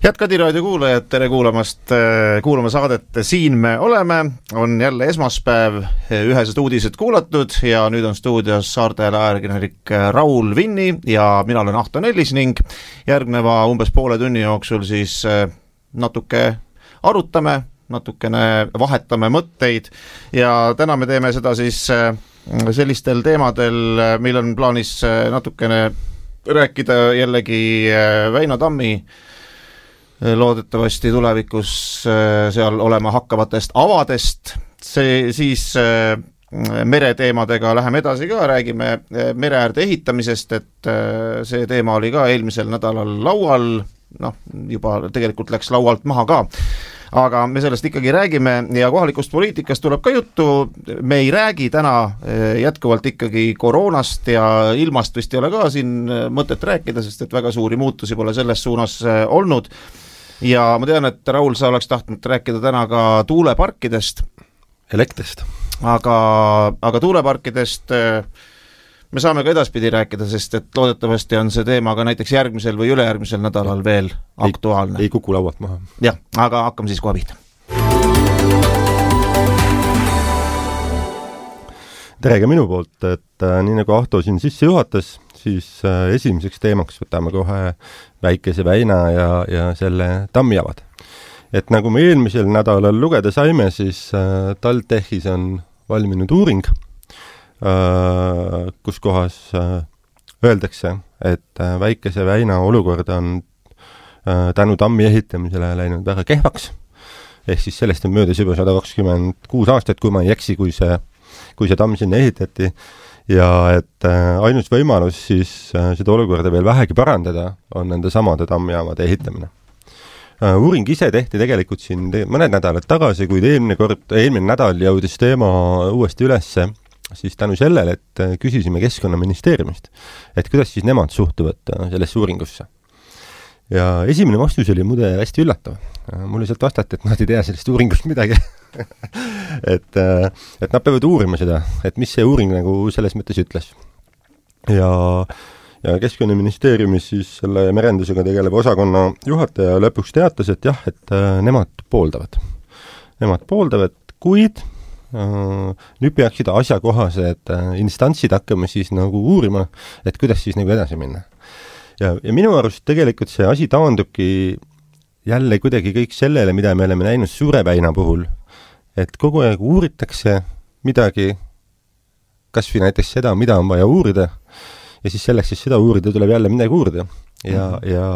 Head Kadiraadio kuulajad, tere kuulamast, kuulama saadet Siin me oleme, on jälle esmaspäev, ühesed uudised kuulatud ja nüüd on stuudios Saarteele ajakirjanik Raul Vinni ja mina olen Ahto Nellis ning järgneva umbes poole tunni jooksul siis natuke arutame, natukene vahetame mõtteid ja täna me teeme seda siis sellistel teemadel, meil on plaanis natukene rääkida jällegi Väino Tammi loodetavasti tulevikus seal olema hakkavatest avadest, siis mereteemadega läheme edasi ka, räägime mereäärde ehitamisest, et see teema oli ka eelmisel nädalal laual, juba tegelikult läks laualt maha ka, aga me sellest ikkagi räägime ja kohalikust poliitikast tuleb ka juttu, me ei räägi täna jätkuvalt ikkagi koroonast ja ilmast vist ei ole ka siin mõtet rääkida, sest et väga suuri muutusi pole selles suunas olnud. Ja ma tean, et Raul, sa oleks tahtnud rääkida täna ka tuuleparkidest. Elektrist. Aga tuuleparkidest me saame ka edaspidi rääkida, sest et loodetavasti on see teema ka näiteks järgmisel või ülejärgmisel nädalal veel aktuaalne. Ei kuku laualt maha. Jah, aga hakkame siis kohe pihta. Tere ka minu poolt, et nii nagu Ahto siin sisse juhatas, siis esimeseks teemaks võtame kohe Väikese Väina ja selle tammijavad. Et nagu me eelmisel nädalal lugeda saime, siis TalTechis on valminud uuring, kus kohas öeldakse, et Väikese Väina olukord on tänu tammi ehitamisele läinud väga kehvaks. Ehk siis sellest on möödas juba 126 aastat, kui ma ei eksi, kui see tamm sinna ehitati ja et ainus võimalus siis seda olukorda veel vähegi parandada on nende samade tammijaamade ehitamine. Uuring ise tehti tegelikult siin mõned nädalad tagasi, kuid eelmine nädal jõudis teema uuesti ülesse, siis tänu sellele, et küsisime Keskkonnaministeeriumist, et kuidas siis nemad suhtuvad sellesse uuringusse. Ja esimene vastus oli muide hästi üllatav. Mulle sealt vastati, et nad ei tea sellest uuringust midagi. et nad peavad uurima seda, et mis see uuring nagu selles mõttes ütles. Ja Keskkonnaministeeriumis siis selle merendusega tegeleva osakonna juhataja lõpuks teatas, et jah, et nemad pooldavad. Nemad pooldavad, kuid nüüd peaksid asjakohased instantsid hakkama siis nagu uurima, et kuidas siis nagu edasi minna. Ja minu arust tegelikult see asi taandubki jälle kuidagi kõik sellele, mida me oleme näinud Suure Väina puhul, et kogu aeg uuritakse midagi, kas või näiteks seda, mida on vaja uurida, ja siis selleks, et seda uurida, tuleb jälle midagi uurida. Ja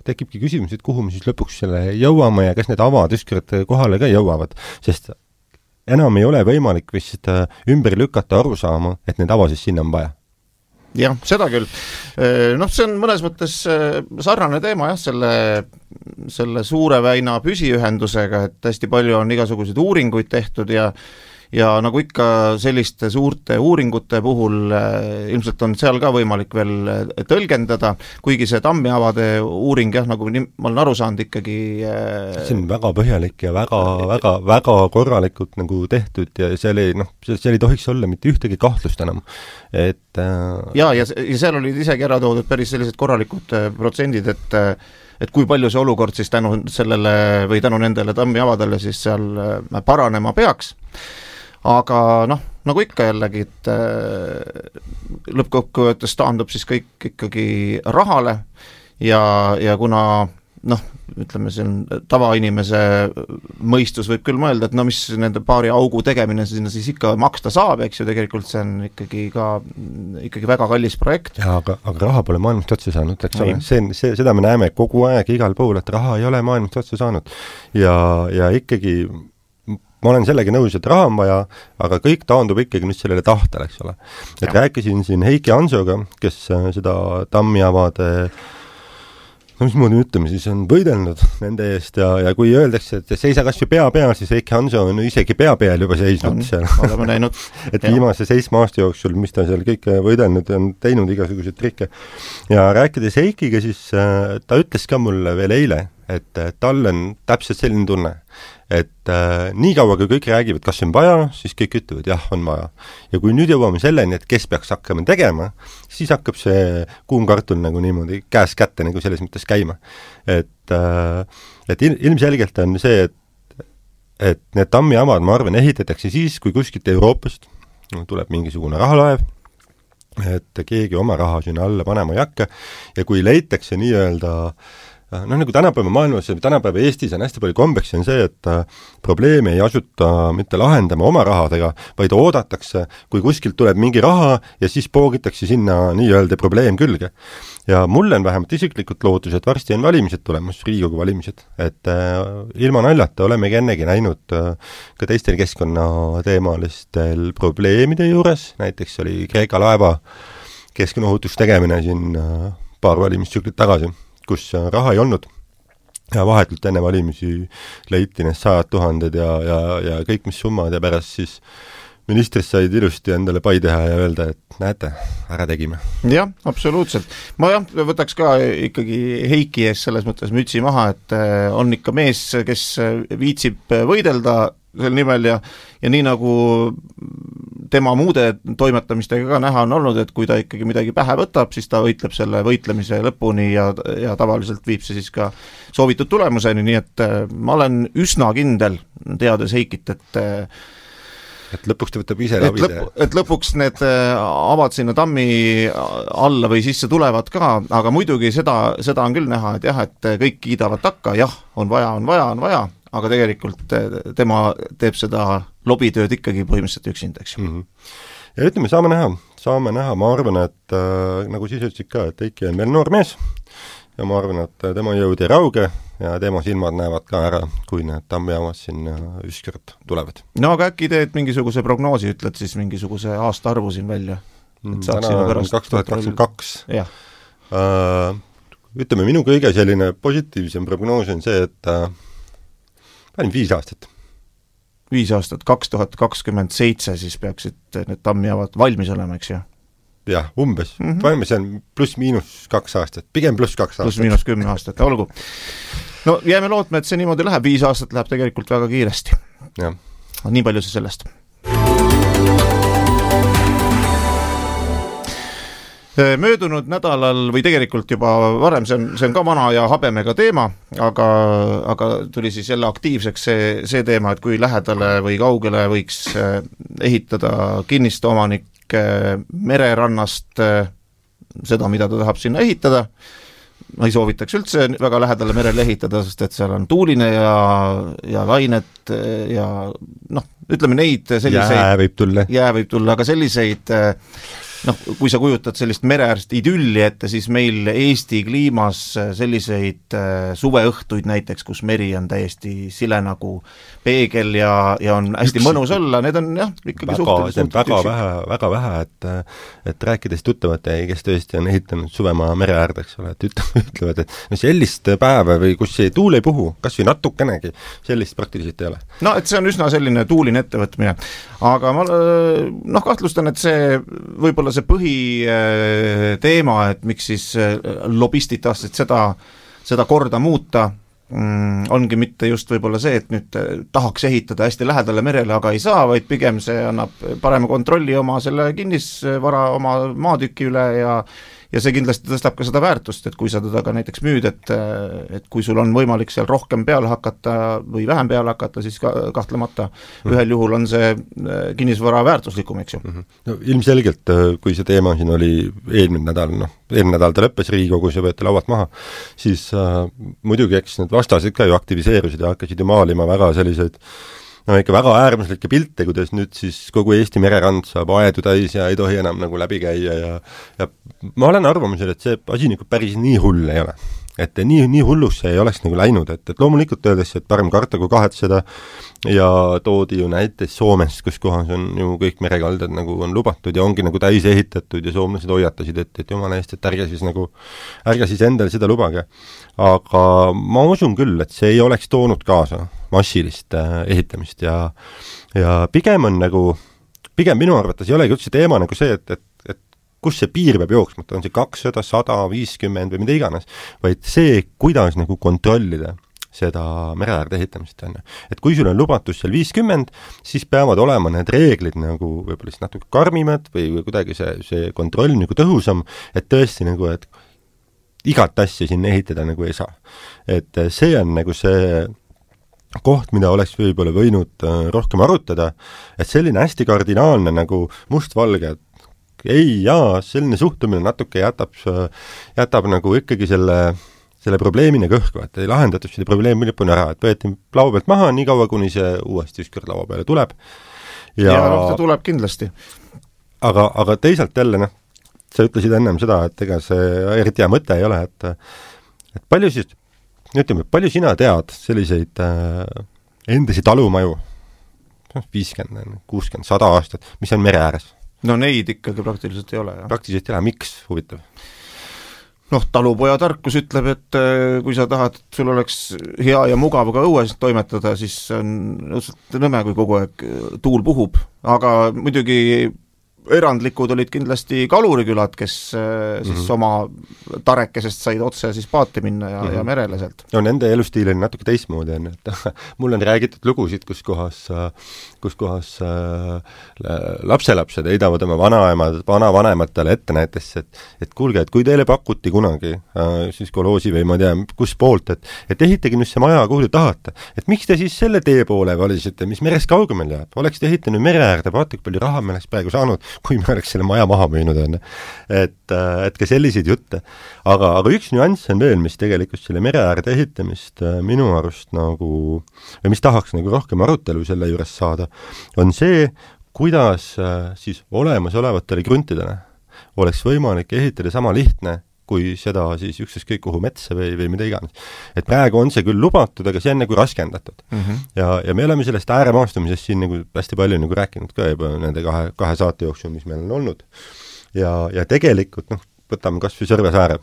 tekibki küsimus, et kuhu me siis lõpuks selle jõuame ja kas need avad ükskord kohale ka jõuavad, sest enam ei ole võimalik vist ümber lükata aru saama, et need avasid sinna on vaja. Jah, seda küll. See on mõnes mõttes sarnane teema selle Suure Väina püsiühendusega, et hästi palju on igasuguseid uuringuid tehtud ja nagu ikka selliste suurte uuringute puhul ilmselt on seal ka võimalik veel tõlgendada, kuigi see tammiavade uuring, nagu ma olen aru saanud ikkagi see on väga põhjalik ja väga korralikult nagu tehtud ja seal ei tohiks olla mitte ühtegi kahtlust enam. Ja seal olid isegi ära toodud päris sellised korralikud protsendid, et kui palju see olukord siis tänu sellele või tänu nendele tammiavadele siis seal paranema peaks. Aga nagu ikka jällegi, et lõppkokkuvõttes taandub siis kõik ikkagi rahale ja kuna ütleme, see on tavainimese mõistus võib küll mõelda, et mis nende paari augu tegemine sinna siis ikka maksta saab, eks ju, tegelikult see on ikkagi väga kallis projekt. Ja, aga raha pole maailmast otsa saanud, eks ole. Seda me näeme kogu aeg igal pool, et raha ei ole maailmast otsa saanud ja ikkagi ma olen sellega nõus, et raha on vaja, aga kõik taandub ikkagi nüüd sellele tahtele, eks ole. Et rääkisin siin Heiki Hansoga, kes seda tammiavade, mismoodi ütleme, siis on võidelnud nende eest ja kui öeldakse, et seisa kas või pea peal, siis Heiki Hanso on isegi pea peal juba seisnud seal. Oleme näinud. Et viimase 7 aasta jooksul, mis ta seal kõik võidelnud, on teinud igasuguseid trikke. Ja rääkides Heikiga, siis ta ütles ka mulle veel eile, et tal on täpselt selline tunne, et nii kaua, kui kõik räägivad, kas on vaja, siis kõik ütlevad, jah, on vaja. Ja kui nüüd jõuame selleni, et kes peaks hakkama tegema, siis hakkab see kuum kartul nagu niimoodi käes kätte nagu selles mõttes käima. Et ilmselgelt on see, et need tammiamad, ma arvan, ehitatakse siis, kui kuskilt Euroopast tuleb mingisugune rahalaev, et keegi oma raha sinna alla panema ei hakka ja kui leitakse nii-öelda nagu tänapäeva maailmas ja tänapäeva Eestis on hästi palju kombeks, on see, et probleemi ei asuta mitte lahendama oma rahadega, vaid oodatakse, kui kuskilt tuleb mingi raha ja siis poogitakse sinna nii-öelda probleem külge. Ja mulle on vähemalt isiklikult lootus, et varsti on valimised tulemas, Riigikogu valimised, et ilma naljata olemegi ennegi näinud ka teistel keskkonnateemalistel probleemide juures, näiteks oli Kreeka laeva keskkonnaohutust tegemine siin paar valimistsüklit tagasi, kus raha ei olnud ja vahetult enne valimisi leiti need 100 000 ja kõik mis summad ja pärast siis ministrist said ilusti endale pai teha ja öelda, et näete, ära tegime. Jah, absoluutselt. Ma võtaks ka ikkagi Heiki ees selles mõttes mütsi maha, et on ikka mees, kes viitsib võidelda sel nimel ja nii nagu tema muude toimetamistega ka näha on olnud, et kui ta ikkagi midagi pähe võtab, siis ta võitleb selle võitlemise lõpuni ja tavaliselt viib see siis ka soovitud tulemuseni, nii et ma olen üsna kindel, teades Heikit, et lõpuks ta võtab ise lavide. Et lõpuks need avad sinna tammi alla või sisse tulevad ka, aga muidugi seda on küll näha, et jah, et kõik kiidavad takka, jah, on vaja, aga tegelikult tema teeb seda lobitööd ikkagi põhimõtteliselt üksinda, eks ju. Ja ütleme, saame näha, ma arvan, et nagu siis ütlesid ka, et Heiki on veel noor mees ja ma arvan, et tema jõud ei rauge ja tema silmad näevad ka ära, kui need tammijaamad siin ükskord tulevad. No aga äkki teed mingisuguse prognoosi, ütled siis mingisuguse aastaarvu siin välja? Täna on 2022. Jah. Ütleme, minu kõige selline positiivsem prognoos on see, et panin 5 aastat. 5 aastat, 2027 siis peaksid need tammijaavad valmis olema, eks ju? Jah, umbes. Paneme see on pluss-miinus 2 aastat, pigem pluss 2 aastat. Pluss-miinus 10 aastat, olgu. No jääme lootma, et see niimoodi läheb, 5 aastat läheb tegelikult väga kiiresti. Ja. Nii palju see sellest. Möödunud nädalal või tegelikult juba varem, see on ka vana ja habemega teema, aga tuli siis jälle aktiivseks see teema, et kui lähedale või kaugele võiks ehitada kinnistu omanik mererannast seda, mida ta tahab sinna ehitada. Ma ei soovitaks üldse väga lähedale merele ehitada, sest et seal on tuuline ja lained ja ütleme neid selliseid jää võib tulla, aga selliseid kui sa kujutad sellist mereäärst idülli ette, siis meil Eesti kliimas selliseid suveõhtuid näiteks, kus meri on täiesti sile nagu peegel ja on hästi mõnus olla, need on jah, ikkagi suhteliselt väga vähe, et rääkides tuttavate, kes tõesti on ehitanud suvemaa mere äärde, eks ole, et ütlevad, et sellist päeva või kus see tuul ei puhu, kas või natukenegi, sellist praktiliselt ei ole. No, et see on üsna selline tuuline ettevõtmine, aga ma kahtlustan, et see võib-olla see põhiteema, et miks siis lobistid tahtsid seda korda muuta, ongi mitte just võib-olla see, et nüüd tahaks ehitada hästi lähedale merele, aga ei saa, vaid pigem see annab parema kontrolli oma selle kinnisvara, oma maatüki üle ja see kindlasti tõstab ka seda väärtust, et kui sa teda ka näiteks müüd, et kui sul on võimalik seal rohkem peale hakata või vähem peale hakata, siis kahtlemata ühel juhul on see kinnisvara väärtuslikum, eks ju. No, ilmselgelt, kui see teema siin oli eelmine nädal ta lõppes Riigikogus ja võeti laualt maha, siis muidugi eks need vastased ka ju aktiviseerusid ja hakkasid ju maalima väga selliseid ikka väga äärmuslikke pilte, kuidas nüüd siis kogu Eesti mererand saab aedu täis ja ei tohi enam nagu läbi käia ja ma olen arvamusel, et see asi nagu päris nii hull ei ole. Et nii hullusse ei oleks nagu läinud, et loomulikult öeldes, et parem karta kui kahetseda ja toodi ju näiteks Soomest, kus kohas on ju kõik merekaldad nagu on lubatud ja ongi nagu täis ehitatud ja soomlased hoiatasid, et jumala eest, et ärge siis endale seda lubage. Aga ma usun küll, et see ei oleks toonud kaasa massilist ehitamist ja pigem minu arvates ei olegi üldse teema nagu see, et kus see piir peab jooksma, on see 200, 100, 50 või mida iganes, vaid see, kuidas nagu kontrollida, seda mereäärde ehitamist, on ju. Et kui sul on lubatus seal 50, siis peavad olema need reeglid nagu võib-olla siis natuke karmimad või kuidagi see kontroll nagu tõhusam, et tõesti nagu, et igat asja sinna ehitada nagu ei saa. Et see on nagu see koht, mida oleks võib-olla võinud rohkem arutada, et selline hästi kardinaalne nagu mustvalge, et ei, selline suhtumine natuke jätab nagu ikkagi selle probleemina kõhku, et ei lahendatud selle probleemi lõpuni ära, et võeti laua pealt maha nii kaua, kuni see uuesti ükskord laua peale tuleb. Ja ta tuleb kindlasti. Aga teisalt jälle, sa ütlesid ennem seda, et ega see eriti hea mõte ei ole, et palju siis, ütleme, palju sina tead selliseid endasi talumaju, 50, 60, 100 aastat, mis on mere ääres? No neid ikkagi praktiliselt ei ole. Praktiliselt ei ole, miks? Huvitav. Talupoja tarkus ütleb, et kui sa tahad, et sul oleks hea ja mugav ka õues toimetada, siis on nõme, kui kogu aeg tuul puhub, aga muidugi erandlikud olid kindlasti kalurikülad, kes siis oma tarekesest said otse siis paati minna ja merele sealt. No nende elustiil on natuke teistmoodi, et mul on räägitud lugusid, kus kohas lapselapsed heidavad oma vanavanematele ette näiteks, et kuulge, et kui teile pakuti kunagi siis koloosi või ma tea, kus poolt, et ehitage nüüd see maja, kuhu te tahate, et miks te siis selle tee poole valisite, mis merest kaugemale jääb, oleks te ehitanud mere äärde, vaata, palju raha me oleks praegu saanud, kui me oleks selle maja maha müünud, on. Et ka selliseid jutte. Aga üks nüanss on veel, mis tegelikult selle mere äärde ehitamist minu arust nagu, või mis tahaks nagu rohkem arutelu selle juures saada, on see, kuidas siis olemasolevatele kruntidele oleks võimalik ehitada sama lihtne, kui seda siis ükskõik kuhu metsa või mida iganes. Et praegu on see küll lubatud, aga see on nagu raskendatud. Ja me oleme sellest ääremaastumisest siin nagu hästi palju nagu rääkinud ka juba nende kahe saate jooksul, mis meil on olnud. Ja tegelikult, võtame kas või Sõrve sääre.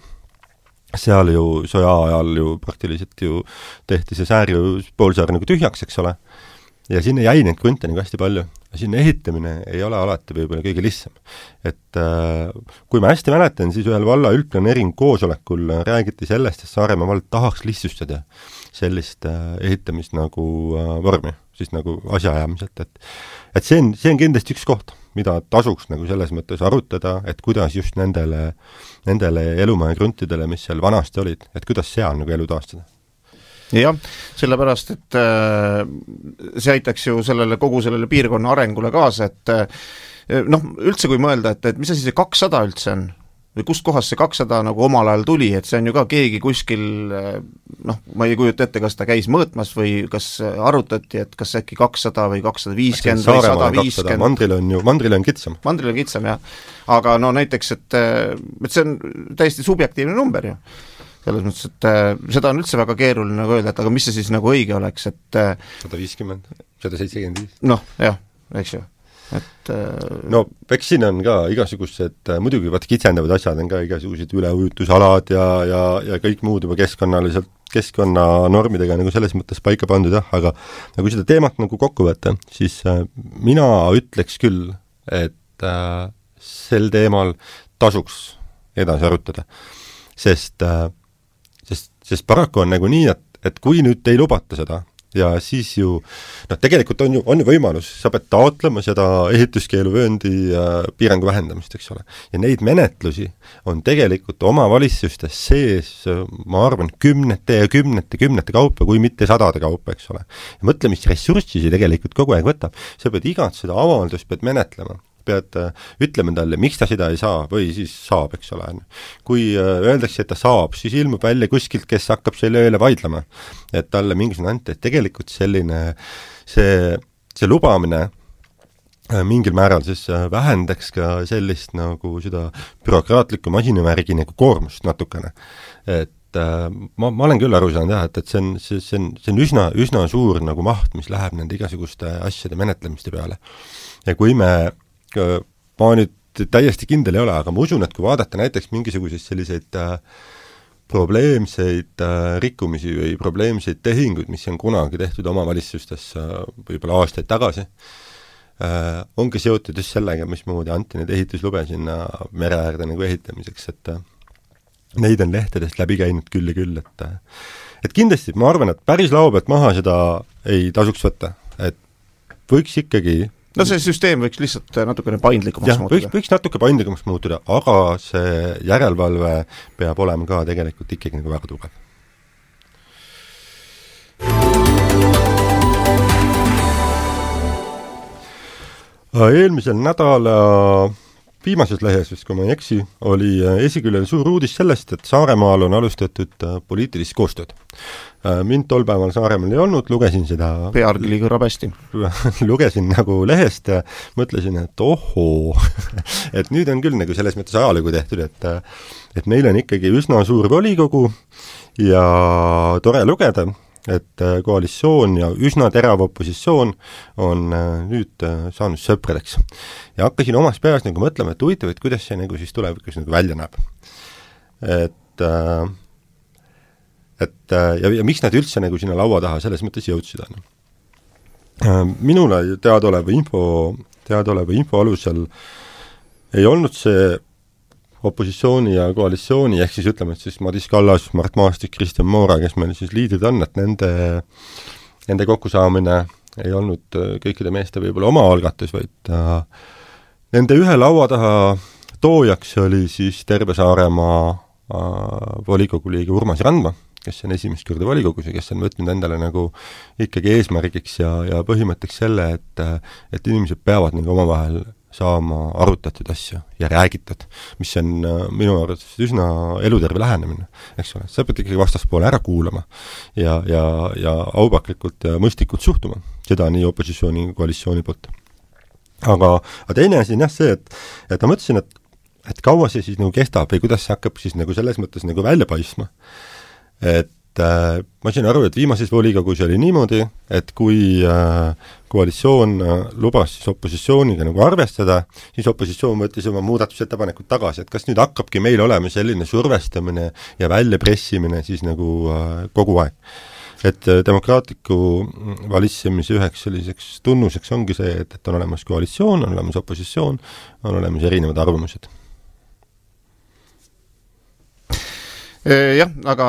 Seal ju sõja ajal ju praktiliselt ju tehti see säär ju poolsaar nagu tühjaks, eks ole. Ja sinna jäi neid krunte nagu hästi palju. Sinna ehitamine ei ole alati võib-olla kõige lihtsam. Et kui ma hästi mäletan, siis ühel valla üldplaneering koosolekul räägiti sellest, et Saaremaa vald tahaks lihtsustada sellist ehitamist nagu vormi, siis nagu asjaajamiselt. Et see on kindlasti üks koht, mida tasuks nagu selles mõttes arutada, et kuidas just nendele elumaja kruntidele, mis seal vanasti olid, et kuidas seal nagu elu taastada. Jah, sellepärast, et see aitaks ju kogu sellele piirkonna arengule kaasa, et üldse kui mõelda, et mis asi see 200 üldse on, või kust kohast see 200 nagu omal ajal tuli, et see on ju ka keegi kuskil, ma ei kujuta ette, kas ta käis mõõtmas või kas arutati, et kas äkki 200 või 250 või 150. Mandril on kitsam. Mandril on kitsam, jah. Aga näiteks, et see on täiesti subjektiivne number ju. Selles mõttes, et seda on üldse väga keeruline nagu öelda, et aga mis see siis nagu õige oleks, et 150, 175. Jah, eks ju. Eks siin on ka igasugused, muidugi kitsendavad asjad on ka igasugused üleujutusalad ja kõik muud juba keskkonnanormidega nagu selles mõttes paika pandud, aga kui seda teemat nagu kokku võtta, siis mina ütleks küll, et sel teemal tasuks edasi arutada, sest paraku on nagu nii, et kui nüüd ei lubata seda ja siis ju, tegelikult on ju võimalus, sa pead taotlema seda ehituskeeluvööndi piirangu vähendamist, eks ole. Ja neid menetlusi on tegelikult omavalitsustes sees, ma arvan, kümnete kaupa, kui mitte sadade kaupa, eks ole. Ja mõtle, mis ressurssi see tegelikult kogu aeg võtab. Sa pead igat seda avaldust pead menetlema. Pead ütlema talle, miks ta seda ei saa või siis saab, eks ole. Kui öeldakse, et ta saab, siis ilmub välja kuskilt, kes hakkab selle ööle vaidlema, et talle mingisugune ante, et tegelikult selline see lubamine mingil määral siis vähendaks ka sellist nagu seda bürokraatlikku masinavärgi nagu koormust natukene. Et ma olen küll aru saanud jah, et see on üsna suur nagu maht, mis läheb nende igasuguste asjade menetlemiste peale. Ja kui ma nüüd täiesti kindel ei ole, aga ma usun, et kui vaadata näiteks mingisuguseid selliseid probleemseid rikkumisi või probleemseid tehinguid, mis on kunagi tehtud omavalitsustes võib-olla aastaid tagasi, ongi seotud just sellega, mismoodi anti need ehituslube sinna mereäärde nagu ehitamiseks, et neid on lehtedest läbi käinud küll ja küll, et kindlasti ma arvan, et päris lao pealt maha seda ei tasuks võtta, et võiks ikkagi no see süsteem võiks lihtsalt natukene paindlikumaks muutuda. Võiks natuke paindlikumaks muutuda, aga see järelevalve peab olema ka tegelikult ikkagi nagu väga tugev. Eelmisel nädala viimases lehes, vist kui ma ei eksi, oli esiküljel suur uudis sellest, et Saaremaal on alustatud poliitilist koostööd. Mind tol päeval Saaremaal ei olnud, lugesin seda pealkiri kõrrab hästi. Lugesin nagu lehest ja mõtlesin, et ohoo, et nüüd on küll nagu selles mõttes ajalugu tehtud, et meil on ikkagi üsna suur volikogu ja tore lugeda, et koalitsioon ja üsna terav opositsioon on nüüd saanud sõpradeks. Ja hakkasin omas peas nagu mõtlema, et huvitav, et kuidas see nagu siis tulevikus nagu välja näeb. Ja miks nad üldse nagu sinna laua taha selles mõttes jõudsid on. Minule teadaoleva info alusel ei olnud see opositsiooni ja koalitsiooni, ehk siis ütleme, et siis Madis Kallas, Mart Maastik, Kristjan Moora, kes meil siis liidrid on, et nende kokkusaamine ei olnud kõikide meeste võib-olla oma algatus, vaid nende ühe laua taha toojaks oli siis terve Saaremaa volikogu liige Urmas Randma, kes on esimest korda volikogus ja kes on võtnud endale nagu ikkagi eesmärgiks ja põhimõtteks selle, et inimesed peavad nagu omavahel saama arutatud asju ja räägitud, mis on minu arvates üsna eluterve lähenemine, eks ole. Sa pead ikkagi vastaspoole ära kuulama ja aupaklikult ja mõistlikult suhtuma, seda nii opositsiooni kui koalitsiooni poolt. Aga teine asi on jah see, et ma mõtlesin, et kaua see siis nagu kestab või kuidas see hakkab siis nagu selles mõttes nagu välja paistma. Et ma sain aru, et viimases volikogus oli niimoodi, et kui koalitsioon lubas siis opositsiooniga nagu arvestada, siis opositsioon võttis oma muudatusettepanekud tagasi, et kas nüüd hakkabki meil olema selline survestamine ja väljapressimine siis nagu kogu aeg. Et demokraatliku valitsemise üheks selliseks tunnuseks ongi see, et on olemas koalitsioon, on olemas opositsioon, on olemas erinevad arvamused. Jah, aga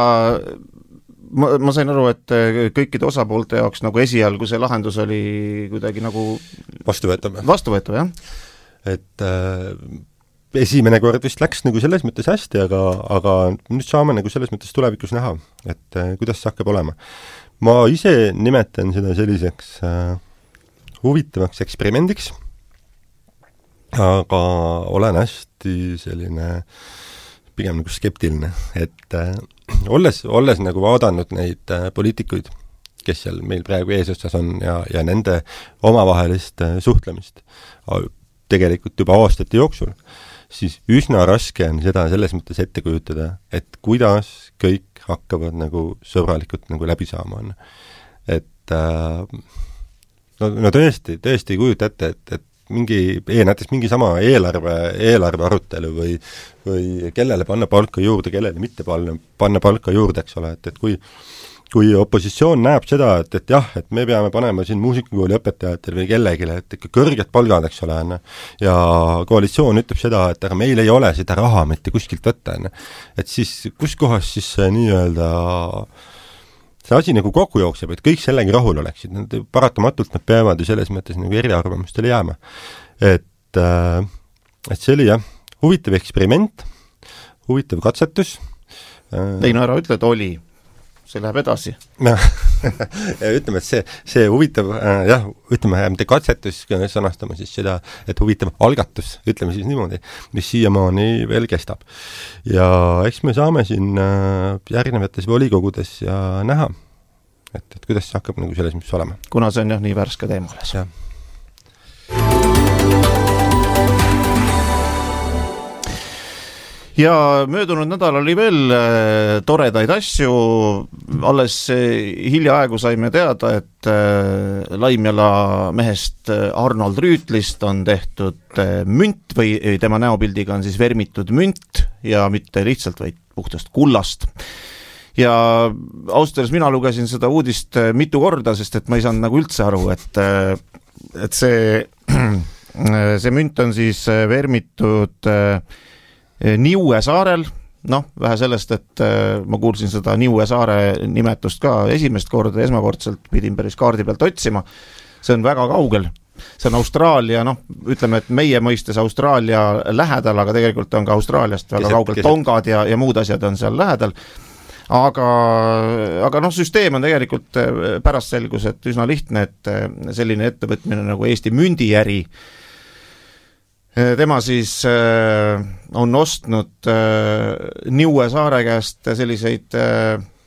ma sain aru, et kõikide osapoolte jaoks nagu esialgu see lahendus oli kuidagi nagu vastuvõetav, jah? Et esimene kord vist läks nagu selles mõttes hästi, aga nüüd saame nagu selles mõttes tulevikus näha, et kuidas see hakkab olema. Ma ise nimetan seda selliseks huvitavaks eksperimendiks, aga olen hästi selline pigem nagu skeptiline, et olles nagu vaadanud neid poliitikuid, kes seal meil praegu eesotsas on ja nende omavahelist suhtlemist tegelikult juba aastate jooksul, siis üsna raske on seda selles mõttes ette kujutada, et kuidas kõik hakkavad nagu sõbralikult nagu läbi saama on. Et no tõesti ei kujuta ette, et näiteks mingi sama eelarve arutelu või kellele panna palka juurde, kellele mitte panna palka juurde, eks ole, et kui opositsioon näeb seda, et jah, et me peame panema siin muusikakooli õpetajatel või kellegile, et ikka kõrged palgad, eks ole, ja koalitsioon ütleb seda, et aga meil ei ole seda raha mitte kuskilt võtta, et siis kus kohas siis nii-öelda see asi nagu kokku jookseb, et kõik sellegi rahul oleksid. Paratamatult nad peavad ju selles mõttes nagu eriarvamustele jääma. Et see oli jah, huvitav eksperiment, huvitav katsetus. Ei no ära ütle, et oli. See läheb edasi. Ütleme, et see huvitav, jah, ütleme, mitte katsetus, sõnastame siis seda, et huvitav algatus, ütleme siis niimoodi, mis siiamaani veel kestab. Ja eks me saame siin järgnevates volikogudes ja näha, et kuidas see hakkab nagu selles mis olema. Kuna see on jah nii värske teema alles. Jah. Ja möödunud nädal oli veel toredaid asju, alles hiljaaegu saime teada, et Laimjala mehest Arnold Rüütlist on tehtud münt või tema näopildiga on siis vermitud münt ja mitte lihtsalt, vaid puhtast kullast. Ja ausalt öeldes mina lugesin seda uudist mitu korda, sest et ma ei saanud nagu üldse aru, et see münt on siis vermitud Niue saarel, vähe sellest, et ma kuulsin seda Niue saare nimetust ka esimest korda, esmakordselt pidin päris kaardi pealt otsima, see on väga kaugel. See on Austraalia, ütleme, et meie mõistes Austraalia lähedal, aga tegelikult on ka Austraaliast väga kaugel, Tongad ja muud asjad on seal lähedal. Aga süsteem on tegelikult pärast selgus, et üsna lihtne, et selline ettevõtmine nagu Eesti mündiäri, tema siis on ostnud Niue saare käest selliseid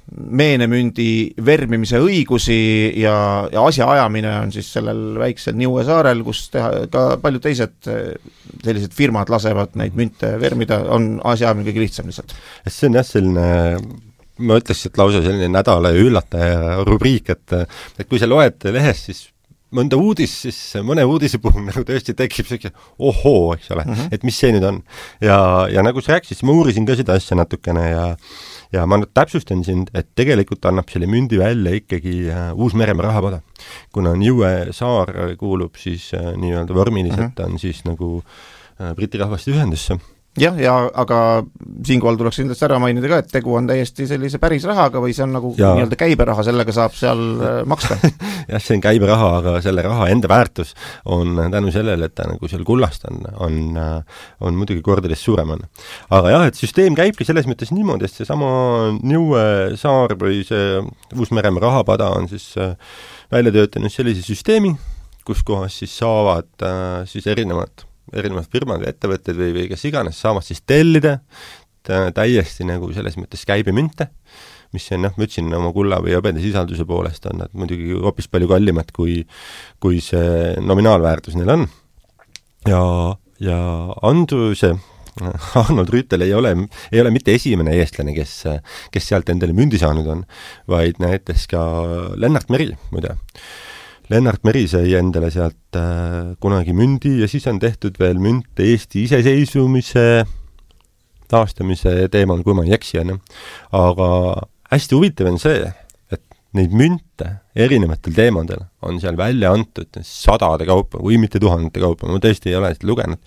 meenemündi vermimise õigusi ja asjaajamine on siis sellel väiksel Niue saarel, kus ka paljud teised sellised firmad lasevad neid münte vermida, on asjaajamine kõige lihtsam lihtsalt. See on jah selline, ma ütleks, et lausa selline nädala üllataja rubriik, et kui sa loed lehest, siis mõnda uudis, siis mõne uudise puhul nagu tõesti tekib selline ohoo, eks ole, et mis see nüüd on. Ja nagu sa rääkisid, ma uurisin ka seda asja natukene ja ma täpsustan sind, et tegelikult annab selle mündi välja ikkagi Uus-Meremaa rahapada. Kuna Niue saar kuulub siis nii-öelda vormiliselt on siis nagu Briti rahvaste ühendusse. Jah, aga siinkohal tuleks kindlasti ära mainida ka, et tegu on täiesti sellise päris rahaga või see on nagu nii-öelda käiberaha, sellega saab seal maksta. Jah, see on käiberaha, aga selle raha enda väärtus on tänu sellele, et ta nagu seal kullast on muidugi kordades suurem on. Aga jah, et süsteem käibki selles mõttes niimoodi, et see sama Niue saar või see Uus-Meremaa rahapada on siis välja töötanud sellise süsteemi, kus kohas siis saavad siis erinevad firmad või ettevõtted või kes iganes saavad siis tellida täiesti nagu selles mõttes käibemünte, mis on, ma ütlesin, oma kulla või hõbeda sisalduse poolest on nad muidugi hoopis palju kallimad, kui see nominaalväärtus neil on. Ja Andruse Arnold Rüütel ei ole mitte esimene eestlane, kes sealt endale mündi saanud on, vaid näiteks ka Lennart Meri, muide. Lennart Meri sai endale sealt kunagi mündi ja siis on tehtud veel münt Eesti iseseisvumise taastamise teemal, kui ma ei eksi. Aga hästi huvitav on see, et neid münte erinevatel teemadel on seal välja antud sadade kaupa või mitte tuhandete kaupa, ma tõesti ei ole seda lugenud.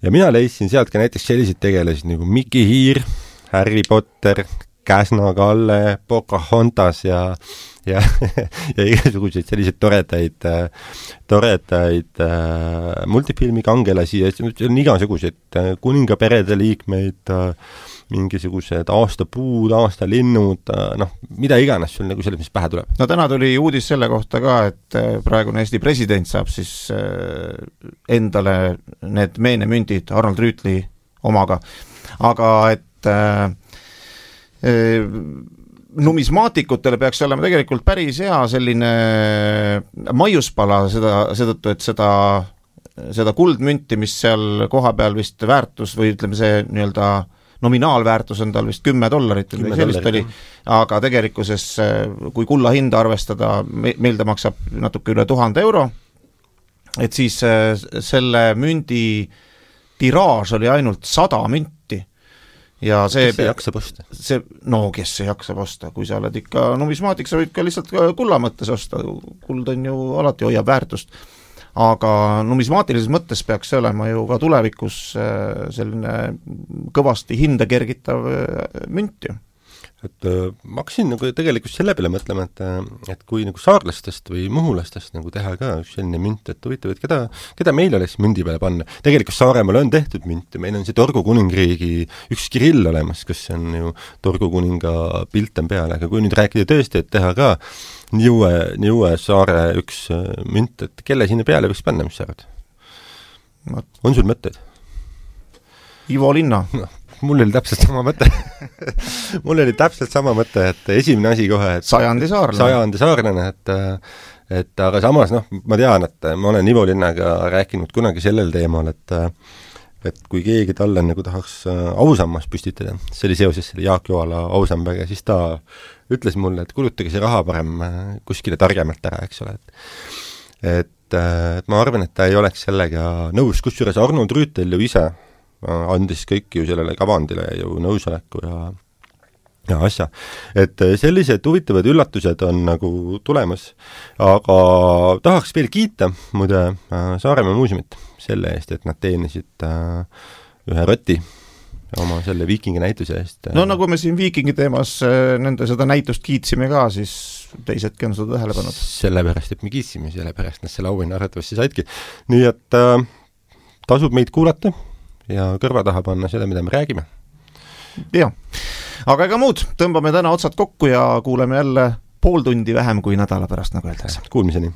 Ja mina leidsin sealt ka näiteks sellised tegelesid nagu Miki Hiir, Harry Potter, Käsna Kalle, Pocahontas ja igasuguseid selliseid toredaid multifilmi kangelasi ja on igasuguseid kuningaperede liikmeid, mingisugused aastapuud, aastalinnud, mida iganes sul nagu selles, mis pähe tuleb. No täna tuli uudis selle kohta ka, et praegune Eesti president saab siis endale need meenemündid Arnold Rüütli omaga, aga et numismaatikutele peaks olema tegelikult päris hea selline maiuspala sedattu, et seda kuldmünti, mis seal koha peal vist väärtus või ütleme see nii-öelda nominaalväärtus on tal vist $10 või sellist oli, aga tegelikkuses kui kulla hinda arvestada, meil ta maksab natuke üle 1000 euro, et siis selle mündi tiraaž oli ainult 100 münti. Ja kes ei jaksa posta? Kes ei jaksa posta, kui sa oled ikka numismaatik, sa võid ka lihtsalt kulla mõttes osta, kuld on ju alati hoiab väärtust, aga numismaatilises mõttes peaks see olema ju ka tulevikus selline kõvasti hinda kergitav münt ju. Et ma hakkasin nagu tegelikult selle peale mõtlema, et kui nagu saarlastest või muhulastest nagu teha ka selline münt, et huvitav, et keda meil oleks mündi peale panna. Tegelikult Saaremaal on tehtud münti, meil on see Torgu kuningriigi üks Kirill olemas, kus on ju Torgu kuninga pilt on peal, aga kui nüüd rääkida tõesti, et teha ka Niue saare üks münt, et kelle sinna peale võiks panna, mis sa arvad? On sul mõtteid? Ivo Linna. Mul oli täpselt sama mõte, et esimene asi kohe, et sajandi saarlane, et aga samas, ma tean, et ma olen Ivo Linnaga rääkinud kunagi sellel teemal, et kui keegi talle nagu tahaks ausammas püstitada, see oli seoses selle Jaak Joala ausambaga, siis ta ütles mulle, et kulutage see raha parem kuskile targemalt ära, eks ole, et ma arvan, et ta ei oleks sellega nõus, kusjuures Arnold Rüütel ju ise andis kõik ju sellele kavandile ju nõusoleku ja asja. Et sellised huvitavad üllatused on nagu tulemas, aga tahaks veel kiita muide Saaremaa muuseumit selle eest, et nad teenisid ühe roti oma selle Viikingi näituse eest. No nagu me siin Viikingi teemas nende seda näitust kiitsime ka, siis teisedki on seda tähele pannud. Sellepärast, et me kiitsime, sellepärast nad selle auhinna arvatavasti saidki. Nii et tasub meid kuulata ja kõrva taha panna seda, mida me räägime. Jah, aga ega muud, tõmbame täna otsad kokku ja kuuleme jälle pool tundi vähem kui nädala pärast, nagu öeldakse. Kuulmiseni!